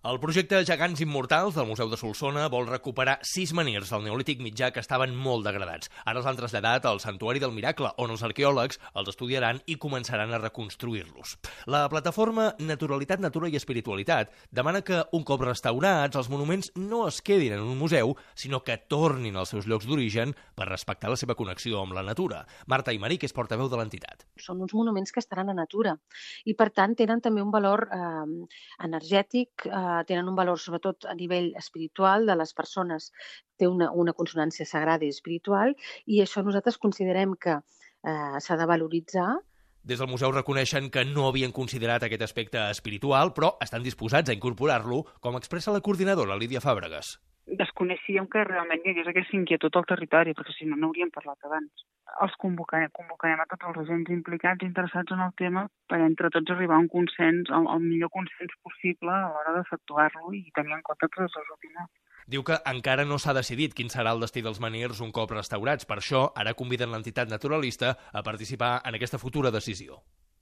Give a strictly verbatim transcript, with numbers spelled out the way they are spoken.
El projecte Gegants Immortals del Museu de Solsona vol recuperar sis menhirs del Neolític mitjà que estaven molt degradats. Ara els han traslladat al Santuari del Miracle, on els arqueòlegs els estudiaran i començaran a reconstruir-los. La plataforma Naturalitat, Natura i Espiritualitat demana que, un cop restaurats, els monuments no es quedin en un museu, sinó que tornin als seus llocs d'origen per respectar la seva connexió amb la natura. Marta Aymeric és portaveu de l'entitat. Són uns monuments que estaran a natura i, per tant, tenen també un valor eh, energètic, eh, tenen un valor sobretot a nivell espiritual de les persones. Té una, una consonància sagrada i espiritual i això nosaltres considerem que eh, s'ha de valoritzar. Des del museu reconeixen que no havien considerat aquest aspecte espiritual, però estan disposats a incorporar-lo, com expressa la coordinadora Lídia Fàbregas. Desconeixíem que realment hi hagués aquesta inquietud al territori, perquè si no n'hauríem parlat abans. Els convocarem, convocarem a tots els agents implicats interessats en el tema per entre tots arribar a un consens, el, el millor consens possible a l'hora d'efectuar-lo i tenir en compte totes les opinions. Diu que encara no s'ha decidit quin serà el destí dels menhirs un cop restaurats. Per això, ara conviden l'entitat naturalista a participar en aquesta futura decisió.